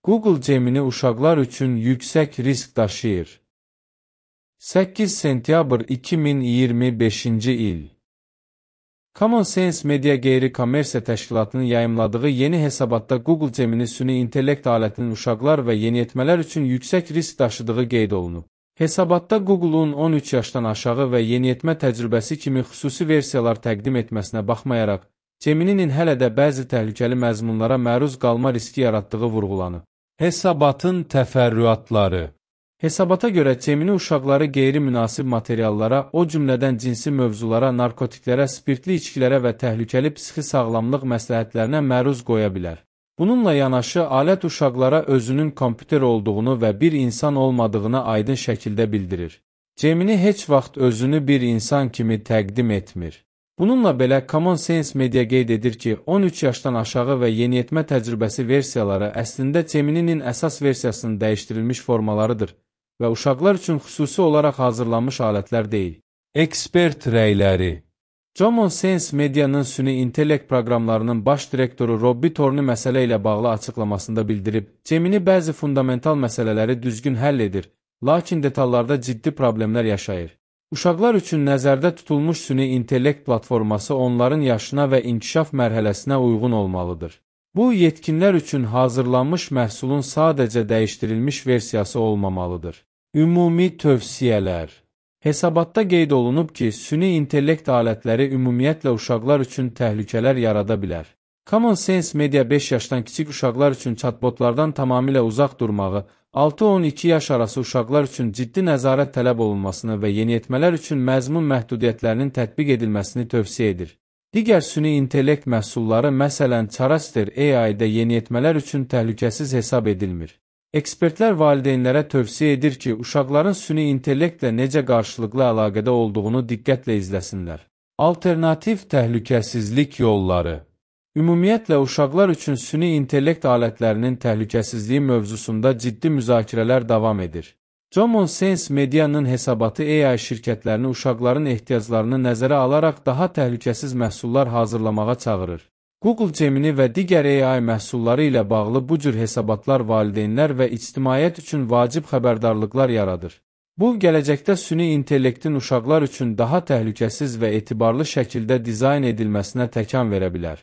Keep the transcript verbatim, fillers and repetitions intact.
Google Gemini uşaqlar üçün yüksək risk daşıyır. səkkiz sentyabr iki min iyirmi beşinci il. Common Sense Media Qeyri-Kommersiya Təşkilatının yayımladığı yeni hesabatda Google Gemini süni intellekt alətinin uşaqlar və yeniyetmələr üçün yüksək risk daşıdığı qeyd olunub. Hesabatda Google'un on üç yaşdan aşağı və yeniyetmə təcrübəsi kimi xüsusi versiyalar təqdim etməsinə baxmayaraq, Gemini'nin hələ də bəzi təhlükəli məzmunlara məruz qalma riski yaratdığı vurğulanıb. Hesabatın təfərrüatları. Hesabata görə Gemini uşaqları qeyri-münasib materiallara, o cümlədən cinsi mövzulara, narkotiklərə, spirtli içkilərə və təhlükəli psixi sağlamlıq məsləhətlərinə məruz qoya bilər. Bununla yanaşı, alət uşaqlara özünün kompüter olduğunu və bir insan olmadığını aydın şəkildə bildirir. Gemini heç vaxt özünü bir insan kimi təqdim etmir. Bununla belə, Common Sense Media qeyd edir ki, on üç yaşdan aşağı və yeniyetmə təcrübəsi versiyaları əslində Gemini'nin əsas versiyasının dəyişdirilmiş formalarıdır və uşaqlar üçün xüsusi olaraq hazırlanmış alətlər deyil. Ekspert rəyləri. Common Sense Media'nın süni intellekt proqramlarının baş direktoru Robby Torney məsələ ilə bağlı açıqlamasında bildirib, Gemini bəzi fundamental məsələləri düzgün həll edir, lakin detallarda ciddi problemlər yaşayır. Uşaqlar üçün nəzərdə tutulmuş süni intellekt platforması onların yaşına və inkişaf mərhələsinə uyğun olmalıdır. Bu, yetkinlər üçün hazırlanmış məhsulun sadəcə dəyişdirilmiş versiyası olmamalıdır. Ümumi tövsiyələr. Hesabatda qeyd olunub ki, süni intellekt alətləri ümumiyyətlə uşaqlar üçün təhlükələr yarada bilər. Common Sense Media beş yaşdan kiçik uşaqlar üçün chatbotlardan tamamilə uzaq durmağı, altı on iki yaş arası uşaqlar üçün ciddi nəzarət tələb olunmasını və yeniyetmələr üçün məzmun məhdudiyyətlərinin tətbiq edilməsini tövsiyə edir. Digər süni intellekt məhsulları, məsələn, Charaster A I-də yeniyetmələr üçün təhlükəsiz hesab edilmir. Ekspertlər valideynlərə tövsiyə edir ki, uşaqların süni intellektlə necə qarşılıqlı əlaqədə olduğunu diqqətlə izləsinlər. Alternativ təhlükəsizlik yolları. Ümumiyyətlə, uşaqlar üçün süni intellekt alətlərinin təhlükəsizliyi mövzusunda ciddi müzakirələr davam edir. Common Sense Media'nın hesabatı A I şirkətlərini uşaqların ehtiyaclarını nəzərə alaraq daha təhlükəsiz məhsullar hazırlamağa çağırır. Google Gemini və digər A I məhsulları ilə bağlı bu cür hesabatlar valideynlər və ictimaiyyət üçün vacib xəbərdarlıqlar yaradır. Bu, gələcəkdə süni intellektin uşaqlar üçün daha təhlükəsiz və etibarlı şəkildə dizayn edilməsinə təkan verə bilər.